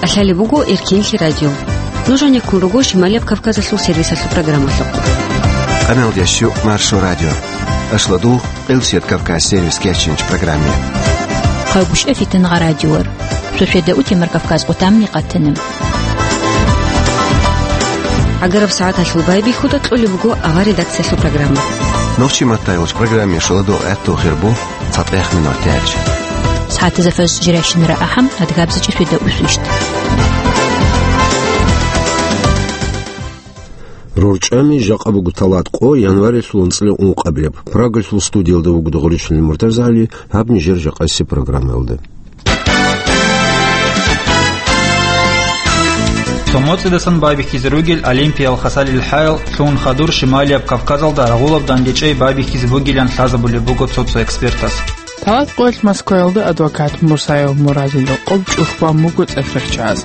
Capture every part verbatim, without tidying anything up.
Лъалеб буго Эркенлъи радио. Нуж гьанеккун руго Шималияб Кавказалъул сервисалъул программалъухъ. Къаналдящу Маршо радио. Ашладул Къилсият Кавказ сервис кечинч программе. Хъагушев Фитнагъа радиор. Шошеда утемар Кавказ къутамни къатанам. Агараб сагӀаталъул байбихьуда кьолеб буго авар редакциялъул программа. Нохчи маттайолч программе шоладул гӀатту хирбу. ЦатӀехъ минутач. СагӀатазда фажр жирайщинара ахӀам, адгабзичӀи шведа усвищт. РорчӀами жакъа буго талат къо январилъул анцӀила ункъабилеб. Прагалъул студиялда вуго Догъричилин МуртазагӀали, гьаб нижер жакъасеб программаялда. Цо моцӀидасан байбихьизе ругел Олимпиял хасалил хӀаял лъугьун хадур Шималияб Кавказалда рагъулаб дандечӀей байбихьизе бугилан лъазабулеб буго цо-цо экспертас. Талат къоялъ Москваялда адвокат Мурсаев Муразил рокъоб чӀухь бан буго цӀехрехчаз.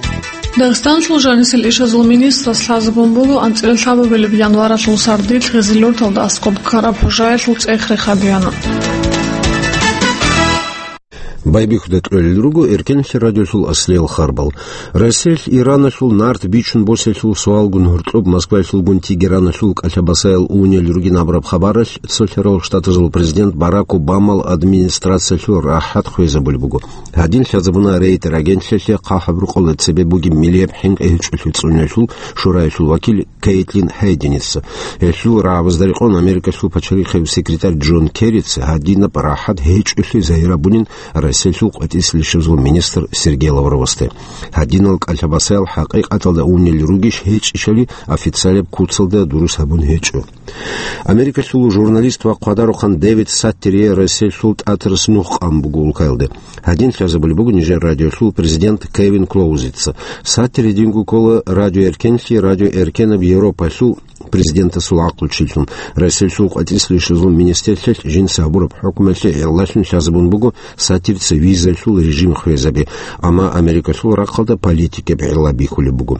Дагъистаналъул жанисел ишазул министрас лъазабун буго анцӀила лъабабилеб январалъул сардилъ гъезил лурталда аскӀоб ккараб хӀужаялъул цӀех рехабиана. Байбихьуда кьолел руго Эркенлъи радиолъул аслиял харбал. Россиялъ Ираналъул нарт бичун босиялъул суалгун гьоркьоб Москваялъулгун Тегераналъул кӀалъабасаял унел ругин абураб хабаралъ Цолъарал Штатазул президент Барак Обамал администрациялъул рахӀат хвезабулеб буго. Гьадин лъазабуна Рейтер агентлъиялъе хъахӀаб рукъалда цебе бугеб миллияб хӀинкъи гьечӀолъи цӀунулъул шураялъул вакил Кейтлин Хейденица. Гьелъул рагӀабазда рекъон Америкалъул пачалихъев секретарь Джон Керрица гьадинаб рахӀат гьечӀолъи загьир гьабунин Россиялъул къватӀислъи лъезул министр Сергей Лавровасде. Гьадинал кӀалъабасаял хӀакъикъаталда унел ругищ гьечӀищали официалаб куцалда дурус гьабун гьечӀо. Америкалъул журналист ва хъвадарухъан Дэвид Саттерие Россиялъул ТӀатарас нух къан буго улкаялде. Гьадин лъазабулеб буго нижер радиолъул президент Кевин Клоузица. Саттере динго ккола Радио Эркенлъи, Радио Эркенаб Европалъул президентасул гӀакълучилъун, Россиялъул къватӀислъи лъезул министрлъиялъ жинца гьабураб хӀукмалъе гӀиллалъун лъазабун буго Саттерица визалъул режим хвезаби, амма Америкалъул рахъалда политикаб гӀилла бихьулеб буго.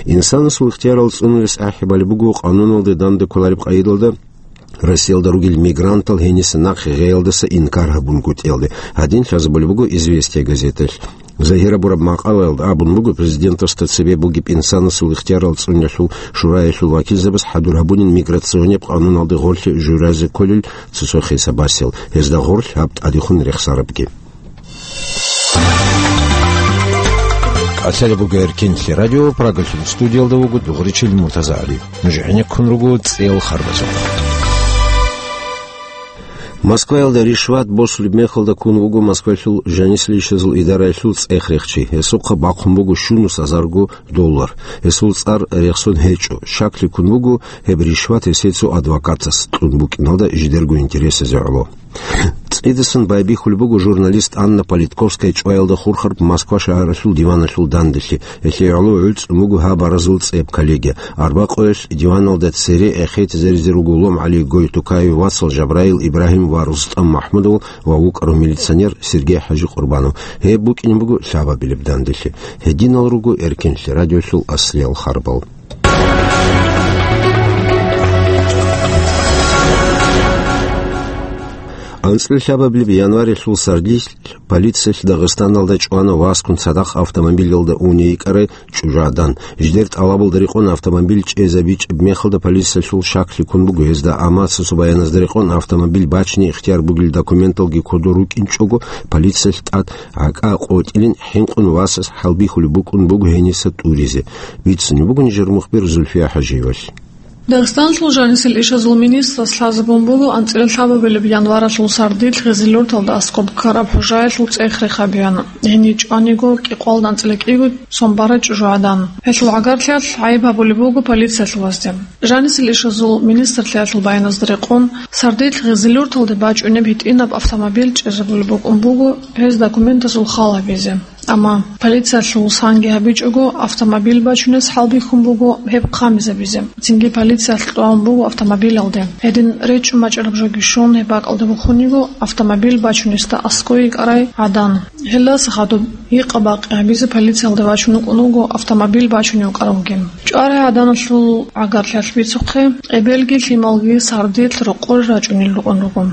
Инсанасул ихтиярал цӀунулес ахӀи балеб буго къануналде данде кколареб къайдалда Россиялда ругел мигрантал гьениса нахъе гъеялдаса инкар гьабунгутӀиялде. Гьадин лъазабулеб буго «Известия» газеталъ. Загьир гьабураб макъалаялда абун буго, президентасда цебе бугеб инсанасул ихтиярал цӀунулъул шураялъул вакилзабаз хӀадур гьабунин миграционеб къануналде гъорлъе журазе кколел цо-цо хисабасел, гьезда гъорлъ гьаб тӀадехун рехсарабги. Лъалеб буго Эркенлъи радио, Прагалъул студиялда вуго Дугъричил Муртазагьали. Нуж гӀенеккун руго цӀел харбазухъ. Москваялда ришват босулеб мехалда ккун вуго Москвалъул жанисел ишазул идараялъул цӀех рехчи. Гьесухъа бахъун буго щунус азарго доллар. Гьесул цӀар рехсон гьечӀо. Щаклъи ккун буго гьеб ришват гьесие цо адвокатас кьун букӀиналда жидерго интересазе гӀоло. ЦӀидасан байбихьулеб буго журналист Анна Политковская чӀваялда хурхараб Москва шагьаралъул диваналъул данделъи. Гьелъие гӀоло гӀуцӀун буго гьаб аразул цӀеб коллегия. Арбакъоялъ диваналда цере эхетизаризе руго Лом ГӀали, Гойтукаев, Вацал Жабраил, Ибрагьим ва РустӀам МахӀмудов ва вукӀарав милиционер Сергей ХӀажи Къурбанов. Гьеб букӀине буго лъабабилеб данделъи. Гьединал руго Эркенлъи радиолъул аслиял харбал. АнцӀила лъабабилеб январилъул сардилъ полициялъ Дагъистаналда чӀвана васкун цадахъ автомобилалда уне йикӀарай чӀужугӀадан. Жидер тӀалабалда рекъон автомобиль чӀезабичӀеб мехалда полициялъул щаклъи ккун буго гьезда, амма цо-цо баяназда рекъон автомобиль бачине ихтияр бугел документалги кодоб рукӀинчӀого, полициялъ тӀад гӀакӀа къотӀилин хӀинкъун васас хӀалбихьулеб букӀун буго гьениса тӀуризе. Бицунеб буго нижер мухбир Зульфия ХӀажиевалъ. Дагъистаналъул жанисел ишазул министрас лъазабун буго анцӀила лъабабилеб январалъул сардилъ гъезил лурталда аскӀоб ккараб хӀужаялъул цӀех рехабиана. Гьенив чӀваниго кӀикъоялда анцӀила кӀиго сон барай чӀужугӀадан. Гьелъул гӀагарлъиялъ гӀайиб гьабулеб буго полициялъувазде. Жанисел ишазул министрлъиялъул баяназда рекъон, сардилъ гъезил лурталде бачӀунеб гьитӀинаб автомобиль чӀезабулеб букӀун буго гьез документазул хал гьабизе. Амма полициялъул санги гьабичӀого, автомобиль бачунес хӀалбихьун буго гьеб хъамизабизе. Цинги полициялъ тӀван буго автомобилалде. Гьедин речӀчӀун бачӀараб жоги щун, гьеб бакӀалде бухун йиго, автомобиль бачунесда аскӀой йикӀарай гӀадан. Гьелдаса хадуб гьикъа-бакъи гьабизе полициялде вачун вукӀун вуго автомобиль бачунев вукӀаравги. ЧӀварай гӀаданалъул гӀагарлъиялъ бицухъе, эбелги лъималги сардилъ рокъоре рачӀунел рукӀун руго.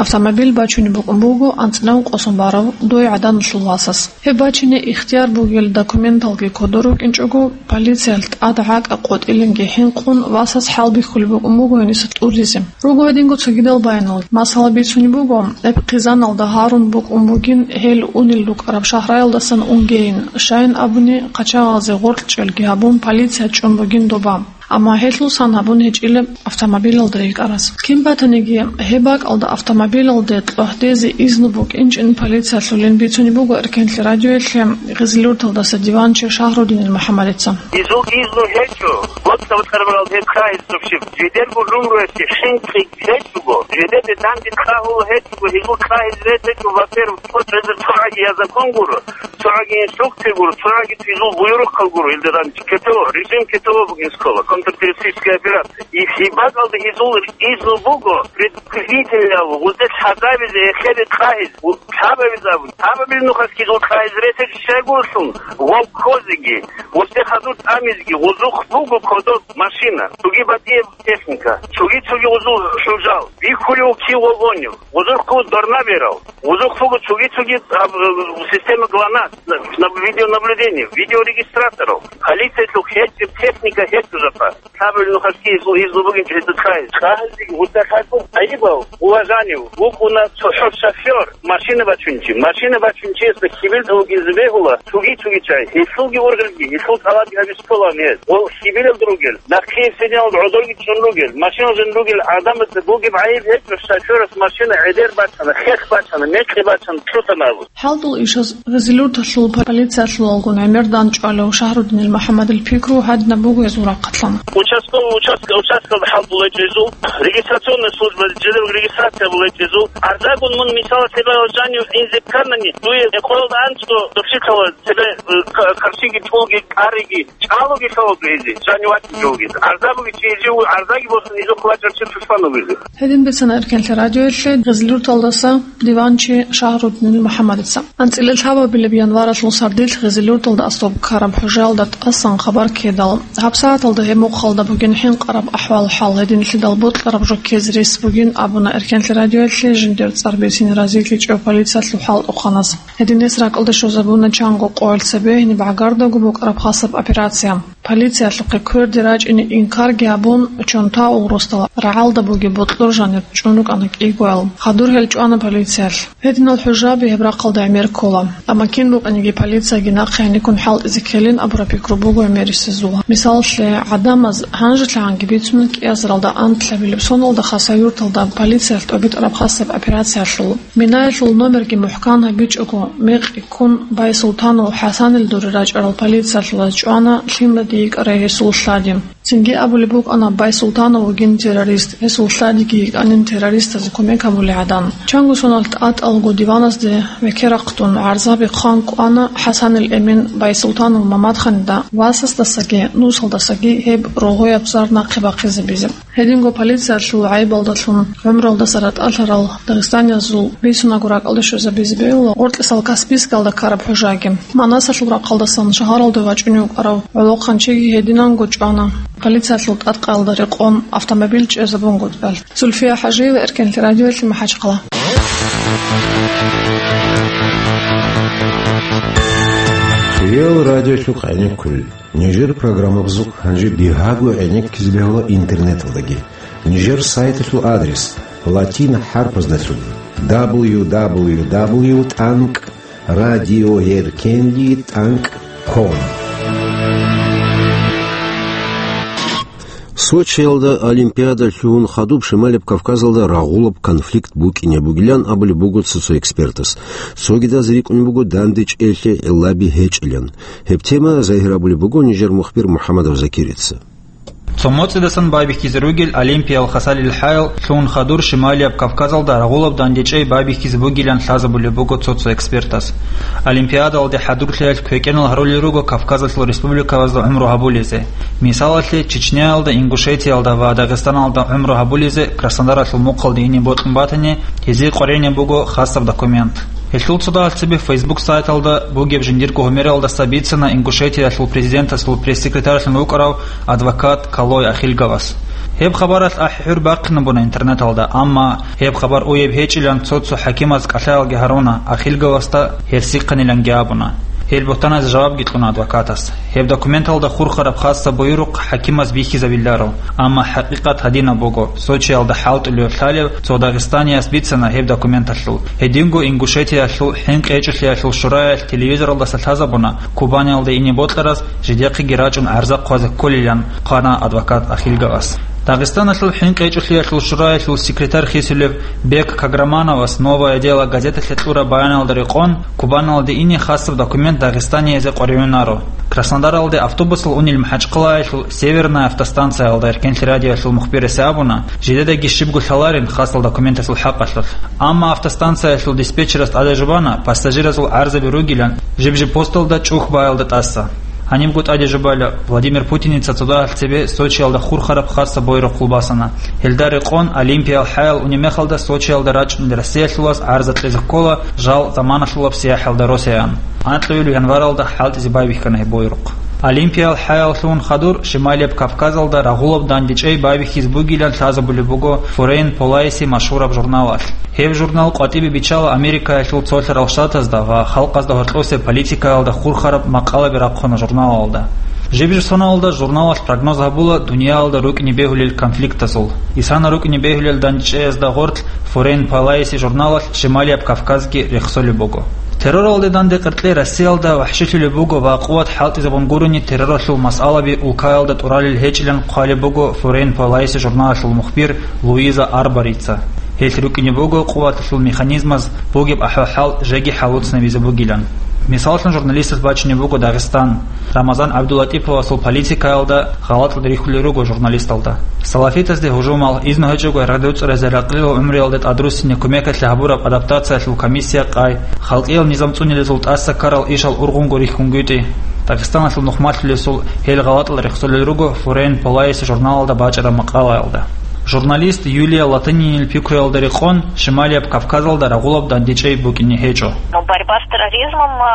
Автомобиль бачунеб букӀун буго анцӀила ункъо сон барав дой гӀаданалъул васас. Гьеб бачине ихтияр бугел документалги кодор рукӀинчӀого, полициялъ тӀад гӀакӀа къотӀилинги хӀинкъун, васас хӀалбихьулеб букӀун буго гьениса тӀуризе. Руго гьединго цогидал баянал. Масала, бицунеб буго, гьеб хъизаналда гьарун букӀун бугин гьел унел рукӀараб шагьраялдасан унгейин, щайин абуни, къачагъазе гъоркьчӀелги гьабун, полиция чӀун бугин доба. Амма гьелъул сан гьабун гьечӀила автомобилалда рикӀкӀарас. Кин батаниги, гьеб бакӀалда автомобилалде кьвагьдезе изну букӀинчӀин полициялъулин бицунеб буго Эркенлъи радиоялъе Гъизлиюрталдаса диванчи Шагьрудинил МухӀаммадица. Изул изну гьечӀо, боцӀа-боцӀараб гьеб кагъиз цӀухъчеб. Жидерго жумруялъе хинкъи гьечӀого, жидеде данде кагьула гьечӀого, гьезул кагъиз рецӀечӀо, во-первых, цо чӀезе цогӀаги я закон гуро, цогӀаги инструкция гуро, цогӀаги изул буюрухъал гуро, илда данде КТО, режим КТО бугин скола, контртеррористическая операция. И гьеб бакӀалда гьезул изну буго, предупредительный, гъузе лъазабизе эхеде кагъиз, лъабабизе абун. Лъабабил нухалъги гъуз кагъиз рецӀичӀо щайгурелъул, вовкозеги, гъузе хадур тӀамизеги, гъузухъ буго кодоб машина, цоги батӀияб техника, цоги-цоги гъузул хӀужал, бихьулев кив вагонив, гъузухъ буго дорна берал, гъузухъ буго цоги-цоги, а, система ГЛОНАСС, на-, на-, видеонаблюдение, видеорегистраторал, полициялъул гьечӀеб техника гьечӀо жапа. Лъабабил нухалъги изну бугин жидецаги. Кагъизеги гъузе лъазабун гӀайибал, уважение, вукӀуна цохӀо шофёр, машина бачунчи. Машина бачунчиясда хьибилда вугизе бегьула цоги-цоги чагӀи. Гьелъулги ургъелги, гьелъул тӀалабги гьабизе ккола гьез. Ва хьибилалда ругел, нахъе синалда гӀодорги чӀун ругел, машиналда ругел гӀадамазда бугеб гӀайиб гьечӀо, шофёрас машина гӀедер бачана, хех бачана, мекъи бачана, лъутана абун. ХӀалтӀул ишаз Гъизлиюрталъул полициялъулалгун гӀемер дандчӀвалев Шагьрудинил МухӀаммадил пикру гьадинаб буго гьезул рахъалъан. Участковый участок, участковый хӀалтӀулечӀезул, регистрационная служба, жидерго регистрация булечӀезул. Арзагун мун, мисала, цебе жанив инзе кканани, дуе къоялда анцӀго дуршихъала цебе, э, ка-, каршиги, чӀулги, къариги, чӀалуги лъаладу гьезие, жанив вачӀинчӀулги. Арза бугичи гьезие, арзаги босун, изухъ вачӀарчи тушман вугизе. Гьедин бицана Эркенлъи радиоялъе Гъизлиюрталдаса диванчи Шагьрудинил МухӀаммадица. АнцӀила лъабабилеб январалъул сардилъ Гъизлиюрталда аслуб ккараб хӀужаялда тӀасан хабар ккедал, гьабсагӀаталда гьеб мухъалда бугин хӀинкъараб ахӀвал-хӀал, гьединлъидал бокьараб жо ккезе рес бугин абуна Эркенлъи радиоялъе жиндир цӀар бицине разилъичӀев полициялъул хӀалтӀухъанас. Гьединес ракӀалде щвезабуна чанго къоялъ цебе гьениб гӀагардаго букӀараб хасаб операция. Полициялъухъе кверде рачӀине инкарги гьабун, Чонтау росдал рагӀалда бугеб бокьор жанир чӀун рукӀана кӀигоял. Хадур гьел чӀвана полициялъ. Гьединал хӀужаби гьеб рахъалда гӀемер ккола. Амма кин букӀаниги полицияги нахъе гьаниккун хӀалтӀизе ккелин абураб пикру буго гӀемерисезул. Мисалалъе, гӀадамаз гьанжелъагӀанги бицун кӀиазаралда анлъабилеб соналда Хасавюрталда полициялъ тӀобитӀараб хасаб операциялъул. Минаялъул номерги мухӀкан гьабичӀого, мекъи ккун, Байсултанов ХӀасанил дуре рачӀарал полициялъулаз чӀвана лъимаде йикӀарай гьесул лъади. Цинги абулеб букӀана, Байсултанов вугин террорист, гьесул лъадиги йикӀанин террористазе кумек гьабулей гӀадан. Чанго соналъ тӀатӀалго диваназде векерахъдун гӀарзаби хъван кӀвана ХӀасанил Эмин Байсултанов Мамадханида васасдасаги нусалдасаги гьеб рогъояб зар нахъе бахъизабизе. Гьединго полициялъул гӀайибалдалъун гӀумруялдаса ратӀалъарал дагъистаниязул бицунаго ракӀалде щвезабизе бегьула гъоркьисал Каспийскалда ккараб хӀужаги. Манасалъул рахъалдасан шагьаралде вачӀунев вукӀарав гӀолохъанчиги гьединанго чӀвана полициялъул тӀадкъаялда рекъон автомобиль чӀезабунгутӀиялъ. Зульфия ХӀажиева, Эркенлъи радиоялъе, МахӀачхъала. Реал радиолъухъ гӀенеккулел. Нижер программабазухъ гьанже бигьаго гӀенеккизе бегьула интернеталдаги. Нижер сайталъул адрес: латин хӀарпаздалъун: дабл ю дабл ю дабл ю тӀанкӀ радиоэркенлъи тӀанкӀ ком. Сочиялда Олимпиада лъугьун хадуб Шималияб Кавказалда рагъулаб конфликт букӀине бугилан абулеб буго цо-цо экспертас. Цогидаз рикӀкӀунеб буго дандечӀеялъе гӀиллаби гьечӀилан. Гьеб тема загьир абулеб буго нижер мухбир МухӀаммадов Закирица. Цо моцӀидасан байбихьизе ругел Олимпиял хасалил хӀаял лъугьун хадур Шималияб Кавказалда рагъулаб дандечӀей байбихьизе бугилан лъазабулеб буго цо-цо экспертас. Олимпиадалде хӀадурлъиялъ квекӀенал гьарулел руго Кавказалъул республикабазда гӀумру гьабулезе. Мисалалъе, Чечняялда, Ингушетиялда ва Дагъистаналда гӀумру гьабулезе Краснодаралъул мухъалде ине бокьун батани, гьезие къваригӀинеб буго хасаб документ. Гьелъул цо дагьалъ цебе Facebook сайталда бугеб жиндирго гьумералдаса бицана Ингушетиялъул президентасул пресс-секретарьлъун вукӀарав адвокат Калой Ахильговас. Гьеб хабаралъ ахӀи-хӀур бахъинабуна интернеталда, амма гьеб хабар уеб гьечӀилан цо-цо хӀакимаз кӀалъаялги гьаруна, ахиргавасда гьерсихъаниланги абуна. Гьел бугьтаназе жавабги кьуна адвокатас. Гьеб документалда хурхараб хасаб буюрухъ хӀакимаз бихьизабиларо, амма хӀакъикъат гьадинаб буго, Сочиялда хӀалтӀулев лъалев цо дагъистанияс бицана гьеб документалъул. Гьединго Ингушетиялъул хӀинкъи гьечӀолъиялъул шураялъ телевизоралдаса лъазабуна, Кубаниялде ине бокьарас жидехъеги рачӀун гӀарза хъвазе кколилан, хъвана адвокат Ахилгавас. Дагъистаналъул хӀинкъи гьечӀолъиялъул шураялъул секретарь хисулев Бек Каграмановас «Новое дело» газеталъе кьураб баяналда рекъон, Кубаналде ине хасаб документ дагъистаниязе къваригӀунаро. Краснодаралде автобусал унел МахӀачхъалаялъул Северная автостанциялда эркенлъи радиоялъул мухбирасе абуна, жидедаги щибго лъаларин хасал документалъул хӀакъалъулъ. Амма автостанциялъул диспетчерас тӀаде жубана пассажиразул гӀарзаби ругилан жиб-жиб посталда чӀухь баялда тӀаса. Гьанибго тӀаде жубайла, Владимир Путиница цо дагьалъ цебе Сочиялда хурхараб хасаб буюрухъ босана. Гьелда рекъон, Олимпиял хӀаял унеб мехалда Сочиялда рачӀунел Россиялъулас гӀарза кьезе ккола жал заманалъулаб сияхӀалда росеян. Анкьабилеб январалда хӀалтӀизе байбихьана гьеб буюрухъ. Олимпиял хӀаяллъун хадур Шималияб Кавказалда рагъулаб дандечӀей байбихьизе бугилан лъазабулеб буго Foreign Policy машгьураб журналалъ. Гьеб журнал къватӀибе биччала Америкаялъул цолъарал штатазда ва халкъазда гьоркьосеб политикаялда хурхараб макъалаби рахъуна журналалда. Жиб-жиб соналда журналалъ прогноз гьабула дуниялалда рукӀине бегьулел конфликтазул. Исана рукӀине бегьулел дандечӀеязда гъорлъ Foreign Policy журналалъ Шималияб Кавказги рехсолеб буго. Терроралде данде къеркьей Россиялда вахӀшилъулеб буго ва къуват хӀалтӀизабун гурони терроралъул масъалаби улкаялда тӀуралел гьечӀилан хъвалеб буго Foreign Policy журналалъул мухбир Луиза Арборица. Гьелъ рукӀине буго къуваталъул механизмаз бугеб ахӀвал-хӀал жеги хӀалуцнабизе бугилан. Мисаллъун, журналистас бачине буго Дагъистан. Рамазан ГӀабдуллатӀиповасул политикаялда гъалатӀал рихьулел руго журналисталда. Салафитазде гьужумал, изну гьечӀого радуцӀцӀаразе ракълил гӀумруялда тӀадруссине кумекалъе гьабураб адаптациялъул комиссия къай, халкъиял низам цӀунилезул тӀаса ккарал ишал ургъунго рихьунгутӀи. Дагъистаналъул нухмалъулесул гьел гъалатӀал рехсолел руго Foreign Policy журналалда бачӀараб макъалаялда. Журналист Юлия Латынинил пикруялда рекъон, Шималияб Кавказалда рагъулаб дандечӀей букӀине гьечӀо. Но борьба с терроризмом, а,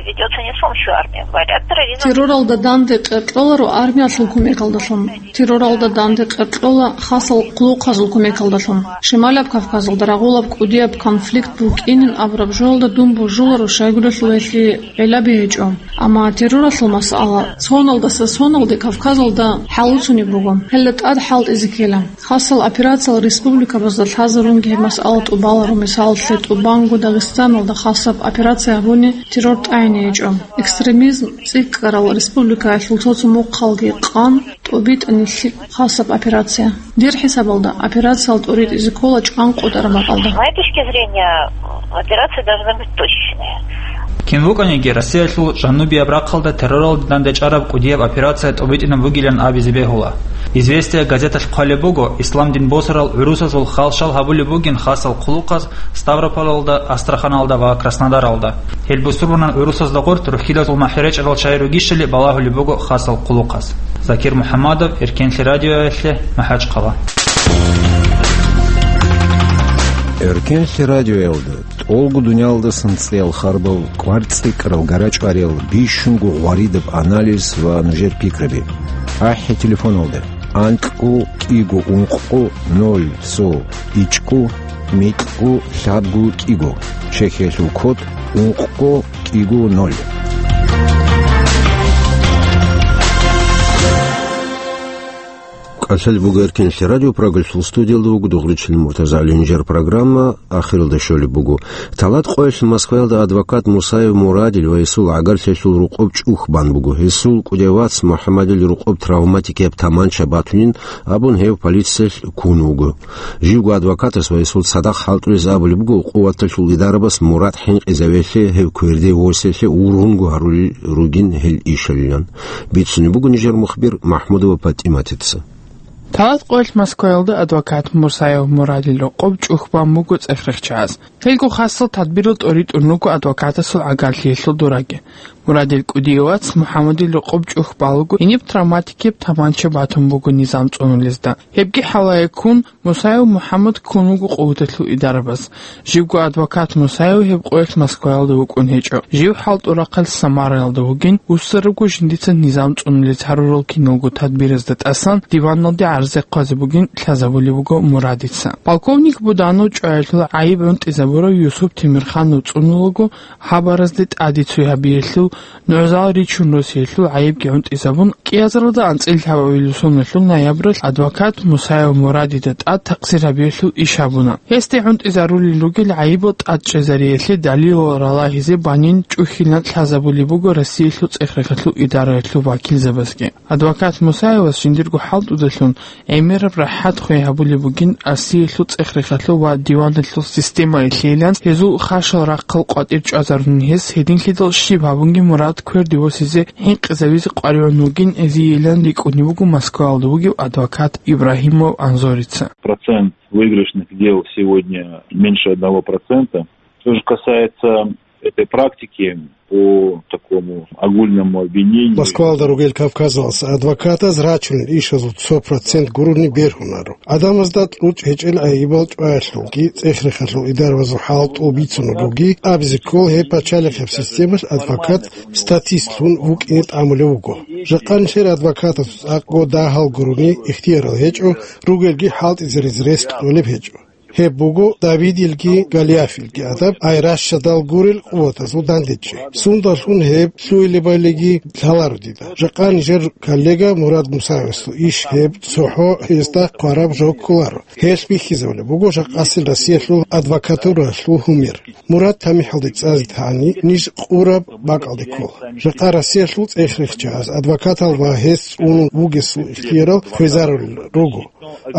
ведётся не с помощью армии. Борьба с терроризмом. Терроралда данде къеркьоларо армиялъул кумекалдалъун. Терроралда данде къеркьола хасал хъулухъазул кумекалдалъун. Шималияб Кавказалда рагъулаб кӀудияб конфликт букӀинин абураб жоялда дун божуларо щайгурелъул гьелъие гӀиллаби гьечӀо. Амма терроралъул масъала соналдаса соналде Кавказалда хӀалуцунеб буго. Гьелда тӀад хӀалтӀизе ккела. Хасал операциял республикабазда лъазарунги гьеб масъала тӀубаларо, мисаллъе, тӀубанго Дагъистаналда хасаб операция гьабуни террор тӀагӀине гьечӀо. Экстремизм цӀикӀкӀарал республикаялъул цо-цо мухъалги къан тӀубитӀани лъикӀ хасаб операция. Дир хӀисабалда, операциялда тӀуритӀизе ккола чӀван къотӀараб бакӀалда. С моей точки зрения, операция должна быть точечная. Кин вукӀаниги, Россиялъул жанубияб рахъалда терроралде дандечӀараб кӀудияб операция тӀубитӀинаб бугилан абизе бегьула. «Известия» газеталъ хъвалеб буго, ислам дин босарал гӀурусазул халшал гьабулеб бугин хасал хъулухъаз Ставрополалда, Астраханалда ва Краснодаралда. Гьел бусурбанал гӀурусазда гъорт рухьилазул махӀи речӀарал чагӀи ругищали балагьулеб буго хасал хъулухъаз. Закир МухӀаммадов, Эркенлъи радиоялъе, МахӀачхъала. Эркенлъи радиоялда тӀолго дуниялдасан цӀеял харбал, кӀвар цӀикӀкӀарал гарачӀвариял, бищунго гъваридаб анализ ва нужер пикраби. АхӀи телефоналда: анкьго кӀиго ункъго ноль цо ичӀго микьго лъабго кӀиго. Чехиялъул код: ункъго кӀиго ноль. КӀалъалеб буго Эркенлъи радио, Прагалъул студиялда вуго Дугъричил Муртазагьилин. Жер программа ахиралда щолеб буго. Талат къоялъ Москваялда адвокат Мусаев Мурадил ва гьесул гӀагарлъиялъул рокъоб чӀухь бан буго. Гьесул кӀудияв вац МухӀаммадил рокъоб травматикияб таманча батунин абун, гьев полициялъ ккун вуго. Живго адвокатас ва гьесул цадахъ хӀалтӀулез абулеб буго къуваталъул идарабас Мурад хӀинкъизавелъе, гьев кверде восиялъе ургъунго гьарулел ругин гьел ишалилан. Бицунеб буго нижер мухбир МахӀмудова ПатӀиматица. Талат къоялъ Москваялда адвокат Мусаев Мурадил рокъоб чӀухь бан буго цӀех рехчаз. Гьелго хасал тадбирал тӀоритӀун руго адвокатасул гӀагарлъиялъул дураги. Мурадил кӀудияв вац МухӀаммадил рокъоб чӀухь балуго, гьениб травматикияб таманча батун буго низам цӀунулезда. Гьебги хӀалае ккун, Мусаев МухӀаммад ккун вуго къуваталъул идарабаз. Живго адвокат Мусаев гьеб къоялъ Москваялда вукӀун гьечӀо. Жив хӀалтӀул рахъалъ Самараялда вугин, вуссарабго жиндица низам цӀунулез гьарурал киналго тадбиразда тӀасан диваналде гӀарз хъвазе бугин лъазабулеб буго Мурадица. Полковник Буданов чӀваялъул гӀайиб гӀунтӀизабурав Юсуп Темирханов цӀунулаго, гьаб гӀаразде тӀаде цой гьабиялъул, нугӀзал ричун росиялъул гӀайибги гӀунтӀизабун, кӀиазаралда анцӀила лъабабилеб соналъул ноябралъ адвокат Мусаев Мурадида тӀад такъсир гьабиялъул иш гьабуна. Гьесде гӀунтӀизарулел ругел гӀайибал тӀад чӀезариялъе далилал ралагьизе банин чӀухьилан лъазабулеб буго Россиялъул цӀех-рехалъул идараялъул вакилзабазги. Адвокат Мусаевас жиндирго хӀалтӀудалъун гӀемераб рахӀат хвей гьабулеб бугин Россиялъул цӀех-рехалъул ва диваналъул системаялъейилан, гьезул хашал рахъал къватӀир чӀвазарун гьес, гьединлъидал щиб гьабунги Мурад кверде восизе хӀинкъизавизе къваригӀун вугин гьезийилан рикӀкӀунеб буго Москваялда вугев адвокат Ибрагьимов Анзорица. Процент выигрышных дел сегодня меньше одного процента. Что же касается этой практики по такому огульному обвинению. Москвалда ругел Кавказалъ адвокатаз рачунел ишазул цо процент гурони бергьунаро. Адамазда кьучӀ гьечӀел гӀайибал чӀваялъулги цӀех-рехалъул идарабазул хӀалтӀул бицунеб бугин, абизе ккола гьеб пачалихъеб системалъ адвокат статистлъун вукӀине тӀамулев вуго. Жакъа нилъер адвокатасул цӀакъго дагьал гурони ихтиярал гьечӀо, ругелги хӀалтӀизаризе рес кьолеб гьечӀо. Гьеб буго Давидилги Голиафилги гӀадаб, ай ращадал гурел къуватазул дандечӀей. Сундалъун гьеб лъугьинабалиги лъаларо дида. Жакъа нижер коллега Мурад Мусаевасул иш гьеб цохӀо гьезда хъвараб жо кколаро. Гьелъ бихьизабулеб буго жакъасел Россиялъул адвокатуралъул гьумер. Мурад тамихӀалде цӀазе тани, ниж къураб бакӀалде ккола. Жакъа Россиялъул цӀех-рехчагӀаз адвокатал ва гьес цӀунун вугесул ихтиярал хвезарулел руго.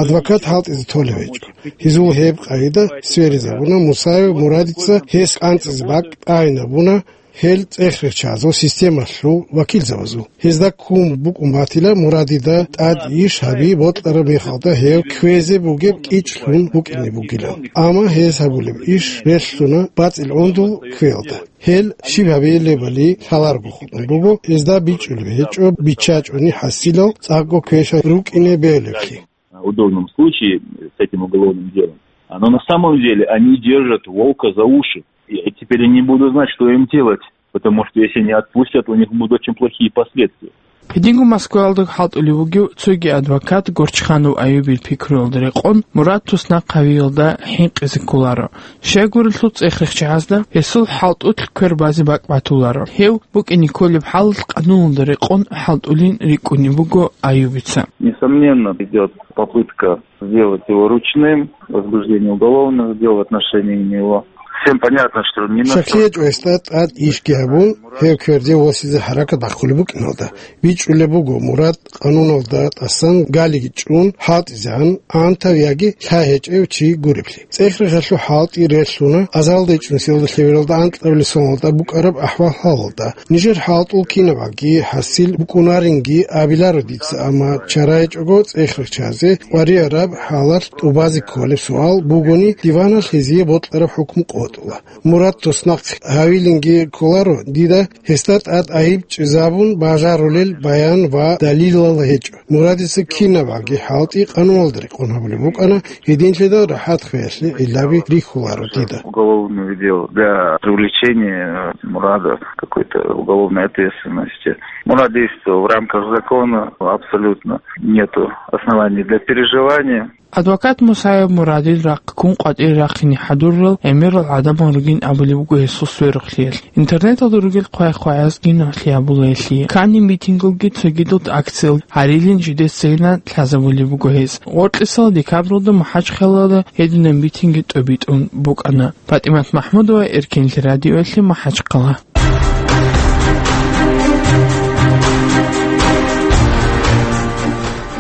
Адвокат хӀалтӀизе толев гьечӀо. Гьезул гьеб къагӀида сверизабуна Мусаев Мурадица, гьес кӀанцӀизе бакӀ тӀагӀинабуна гьел цӀех-рехчазул системалъул вакилзабазул. Гьезда ккун букӀун батила Мурадида тӀад иш гьаби бокьараб мехалда гьев кквезе бугеб кӀичӀлъун букӀине бугилан. Амма гьес гьабулеб иш релълъуна бацӀил гӀундул кквеялда. Гьел щиб гьабилебали лъаларого хутӀун буго, гьезда бичӀчӀулеб гьечӀо биччачӀони хӀасилал цӀакъго квеша рукӀине бегьулеблъи. В удобном случае с этим уголовным делом. Но на самом деле они держат волка за уши. И теперь они будут знать, что им делать, потому что если не отпустят, у них будут очень плохие последствия. Гьединго Москваялда хӀалтӀулев вугев цоги адвокат Горчханов Аюбил пикруялда рекъон, Мурад туснахъ гьавиялда хӀинкъизе кколаро. Щайгурелъул цӀех-рехчагӀазда гьесул хӀалтӀулъ квер базе бакӀ батуларо. Гьев букӀине кколеб хӀалалъ къануналда рекъон хӀалтӀулин рикӀкӀунеб буго Аюбица. Несомненно, идёт попытка сделать его ручным, возбуждение уголовных дел в отношении него. Всем понятно, что не на... Щаклъи гьечӀо гьесда тӀад ишги гьабун, гьев кверде восизе хӀаракат бахъулеб букӀиналда. БичӀчӀулеб буго Мурад къануналда тӀасан галиги чӀун хӀалтӀизегӀан, гӀантав яги лъай гьечӀев чи гуреблъи. ЦӀех-рехалъул хӀалтӀи релълъуна, азалда ичӀнусиялда лъебералда анкьабилеб соналда букӀараб ахӀвал-хӀалалда. Нижер хӀалтӀул кинабгӀаги хӀасил букӀунаринги абиларо дица, амма чара гьечӀого цӀех-рехчазе къваригӀараб хӀалалъ тӀубазе кколеб суал бугони, диваналъ гьезие бокьараб хӀукму къотӀула. Мурад туснахъ гьавилинги кколаро дида, гьесда тӀад гӀайиб чӀезабун бажарулел баян ва далилал гьечӀо. Мурадица кинабгӀаги хӀалтӀи къануналда рекъон гьабулеб букӀана, гьединлъидал рахӀат хвеялъе гӀиллаби рихьуларо дида. Уголовное дело для привлечения Мурада к какой-то уголовной ответственности. Мурад действовал в рамках закона, абсолютно нету оснований для переживания. Адвокат Мусаев Мурадил рахъ ккун къватӀире рахъине хӀадурал гӀемерал гӀадамал ругин абулеб буго гьесул сверухълъиялъ. Интернеталда ругел хъвай-хъваязги нугӀлъи гьабула гьелъие. Кани митингалги цогидал акциял гьарилин жидецайилан лъазабулеб буго гьес. Гъоркьисал декабралда МахӀачхъалалда гьединаб митинги тӀобитӀун букӀана. ПатӀимат МахӀмудова, Эркенлъи радиоялъе, МахӀачхъала.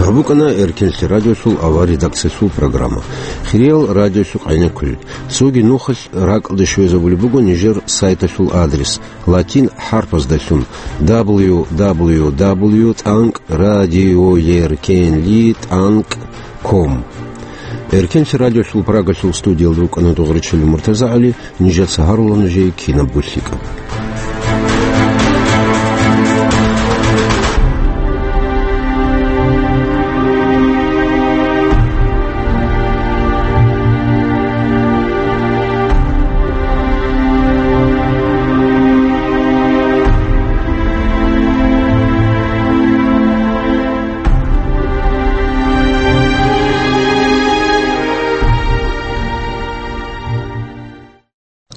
ГьабукӀана Эркенлъи радиосул авар редакциялъул программа. Хириял радиосукъайна кколел. Цоги нухалъ ракӀалде щвезабулеб буго нижер сайталъул адрес, латин хӀарпаздалъун: дабл ю дабл ю дабл ю тӀанкӀ радиоеркенли тӀанкӀ ком. Эркенлъи радиолъул Прагалъул студиялда рукӀана Дугъричилев МуртазагӀали, нижеца гьарула нужее кинабго лъикӀаб.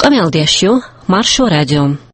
Къамиялдиящу, Маршо радио.